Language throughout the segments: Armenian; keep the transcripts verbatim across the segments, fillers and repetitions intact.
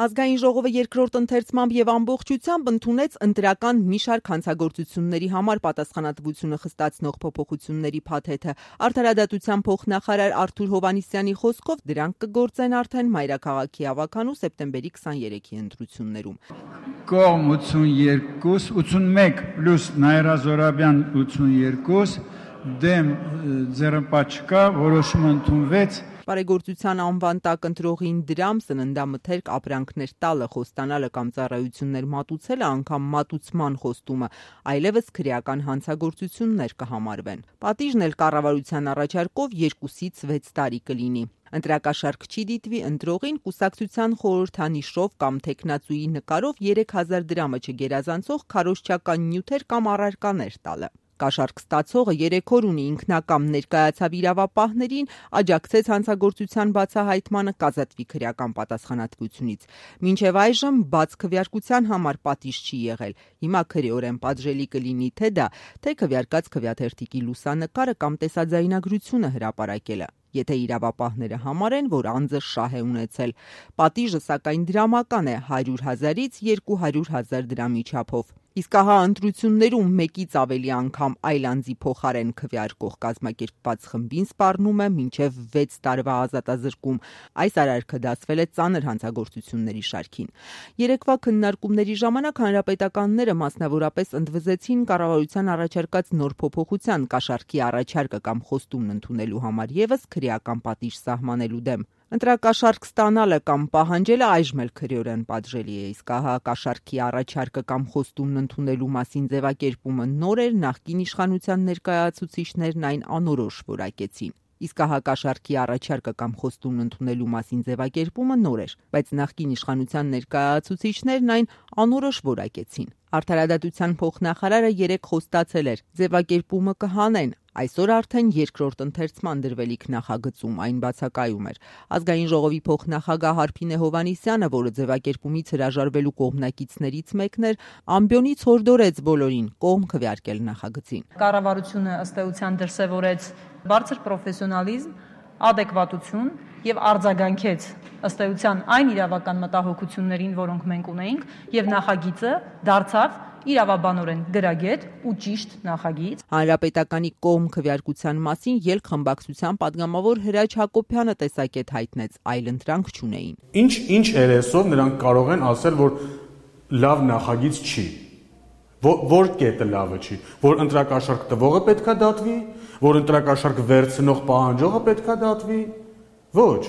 Ազգային ժողովը երկրորդ ընթերցմամբ եւ ամբողջությամբ ընդունեց ընտրական մի շարք հանցագործությունների համար պատասխանատվությունը խստացնող փոփոխությունների փաթեթը։ Արդարադատության փոխնախարար Արթուր Հովհաննիսյանի խոսքով դրանք կգործեն արդեն մայրաքաղաքի ավականու սեպտեմբերի քսաներեքի ընտրություններում։ Կողմ ութսունյոթ, ութսունմեկ պլյուս Նաիրա Զոհրաբյան ութսունյոթ, դեմ ձեռնպատ չկա, որոշումը ընդունվեց։ Բարեգործության անվան տակ ընտրողին դրամ, սննդամթերք, ապրանքներ տալը, խոստանալը կամ ծառայություններ մատուցելը, անգամ մատուցման խոստումը, այլևս քրեական հանցագործություններ կհամարվեն։ Պատիժն էլ կառավարության առաջարկով երկուսից վեց տարի կլինի։ Ընտրակաշարք չի դիտվի ընտրողին կուսակցության խորհրդանիշով կամ թեկնածուի նկարով երեք հազար դրամը չգերազանցող քարոզչական նյութեր կամ առարկաներ տալը։ Կաշառք ստացողը երեք օր ունի ինքնակամ ներկայացավ իրավապահներին, աջակցեց հանցագործության բացահայտմանը, կազատվի քրեական պատասխանատվությունից։ Մինչև այժմ բաց քվեարկության համար պատիժ չի եղել։ Հիմա քրեորեն պատժելի կլինի թե դա, թե քվեարկած քվեաթերթիկի լուսանկարը կամ տեսաձայնագրությունը հրապարակելը, եթե իրավապահները համարեն, որ անձը շահ է ունեցել։ Պատիժը սակայն դրամական է՝ հարյուր հազարից երկու հարյուր հազար դրամի չափով։ Իսկ ահա ընտրություններում մեկից ավելի անգամ այլ անձի փոխարեն քվեարկող կազմակերպված խմբին սպառնում է մինչև վեց տարվա ազատազրկում։ Այս արարքը դասվել է ծանր հանցագործությունների շարքին։ Երեկվա քննարկումների ժամանակ հանրապետականները մասնավորապես ընդվզեցին կառավարության առաջարկած նոր փոփոխության կաշառքի առաջարկը կամ խոստումն ընդունելու համար եւս քրեական պատիժ սահմանելու դեմ։ Ընտրակաշառք ստանալը կամ պահանջելը այժմ էլ քրեորեն պատժելի է, իսկ ահա կաշառքի առաջարկը կամ խոստումն ընդունելու մասին ձևակերպումը նոր էր, նախկին իշխանության ներկայացուցիչներն այն անորոշ որակեցին։ Իսկ ահա կաշառքի առաջարկը կամ խոստումն ընդունելու մասին ձևակերպումը նոր էր, բայց նախկին իշխանության ներկայացուցիչներն այն անորոշ որակեցին։ Արդարադատության փոխնախարարը երեկ խոստացել էր՝ ձևակերպումը կհանեն։ Այսօր արդեն երկրորդ ընթերցման դրվելիք նախագծում այն բացակայում էր։ Ազգային ժողովի փոխնախագահ Հարփինե Հովհաննիսյանը, որը ձևակերպումից հրաժարվելու կողմնակիցներից մեկն էր, ամբիոնից հորդորեց բոլորին կողմ քվեարկել նախագծին։ Կառավարությունը ըստ էության դրսևորեց բարձր պրոֆեսիոնալիզմ, ադեկվատություն եւ արձագանքեց ըստ էության այն իրավական մտահոգություններին, որոնք մենք ունեինք, եւ նախագիծը դարձավ իրավաբանորեն գրագետ ու ճիշտ նախագիծ։ Հանրապետականի կողմ քվեարկության մասին ելք խմբակցության падգամավոր Հրաչ Հակոբյանը տեսակետ հայտնեց, այլ ընտրանք չունեին։ Ինչ ինչ երեսով նրանք կարող են ասել, որ լավ նախագիծ չի։ Որ կետը լավը չի, որ ընտրակաշառք տվողը պետքա դատվի, որ ընտրակաշառք վերցնող պահանջողը պետքա դատվի։ Ոչ,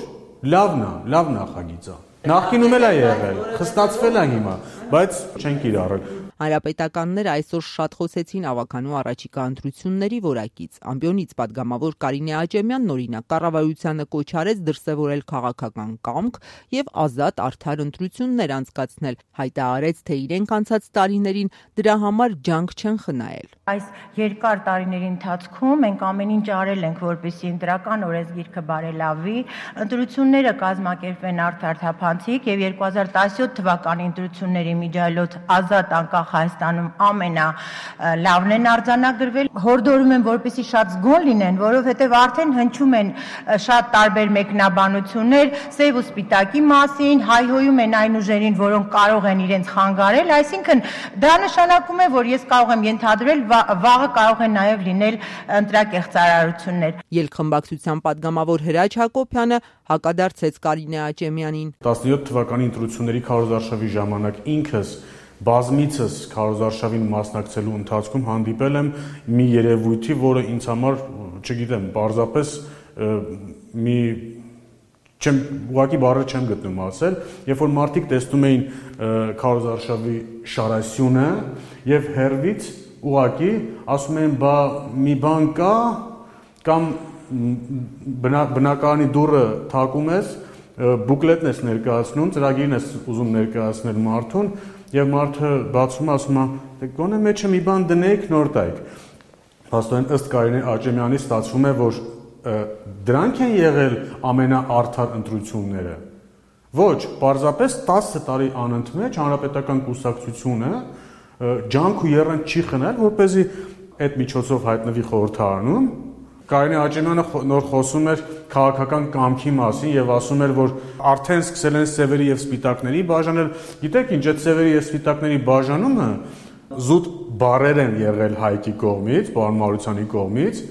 լավն է, լավ նախագիծ է։ Նախկինում էլ է եղել, խստացվել է հիմա, բայց չենք իրարել։ Հանրապետականները այսօր շատ խոսեցին ավականու առաջիկա ընտրությունների որակից։ Ամբիոնից падգամավոր Կարինե Աճեմյանն օրինակ կառավարությանը կոչ արեց դրսևորել քաղաքական կամք եւ ազատ արդար ընտրություններ անցկացնել, հայտարարեց, թե իրենք անցած տարիներին դրա համար ջանք չեն խնայել։ Այս երկար տարիների ընթացքում մենք ամեն ինչ արել ենք, որպեսզի ընտրական օրենսգիրքը բարելավի, ընտրությունները կազմակերպվեն արդար թափանցիկ եւ երկու հազար տասնյոթ թվականի ընտրությունների միջայլոց ազատ անկախ Հայաստանում ամենալավն են արձանագրվել։ Հորդորում եմ, որպեսզի շատ զգոն լինեն, որովհետև արդեն հնչում են շատ տարբեր մեկնաբանություններ սև ու սպիտակի մասին, հայհոյում են այն ուժերին, որոնք կարող են իրենց խանգարել, այսինքն դա նշանակում է, որ ես կարող եմ ենթադրել, վաղը կարող են նաև լինել ընտրակեղծարարություններ։ Ելքխմբակցության падգամավոր Հրաչ Հակոբյանը հակադարձեց Կարինե Աճեմյանին։ տասնյոթ թվականի ընտրությունների քարոզարշավի ժամանակ ինքս բազմիցս քարոզարշավին մասնակցելու ընթացքում հանդիպել եմ մի երևույթի, որը ինձ համար, չգիտեմ, պարզապես մի չեմ ուղղակի բառը չեմ գտնում ասել, երբ որ մարդիկ տեսնում էին քարոզարշավի շարասյունը եւ հերվից ուղղակի ասում էին, բա մի բան կա կամ բնակարանի դուռը թակում ես, բուկլետն ես ներկայացնում, ծրագիրն ես ուզում ներկայացնել մարդուն եւ մարդը բացում ասում է, դե գոնե մեջը մի բան դնեիք, նոր տայիք։ Փաստորեն ըստ Կարինե Աճեմյանի ստացվում է, որ դրանք են եղել ամենաարդար ընտրությունները։ Ոչ, պարզապես տասը տարի անընդմեջ հանրապետական կուսակցությունը ջանք ու եռանդ չի խնայել, որպեսզի այդ միջոցով հայտնվի խորհրդարանում Կարինե Աճեմյանը նոր խոսում էր քաղաքական կամքի մասին եւ ասում էր, որ արդեն սկսել են սևերի եւ սպիտակների բաժանել։ Գիտեք ինչ, այդ սևերի եւ սպիտակների բաժանումը զուտ բարեր են եղել Հայկի կողմից, պարոն Մարությանի կողմից,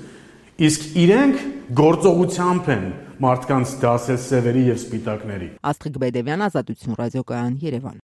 իսկ իրենք գործողությամբ են մարդկանց դասել սևերի եւ սպիտակների։ Աստղիկ Բեդևյան, Ազատություն ռադիոկայան, Երևան։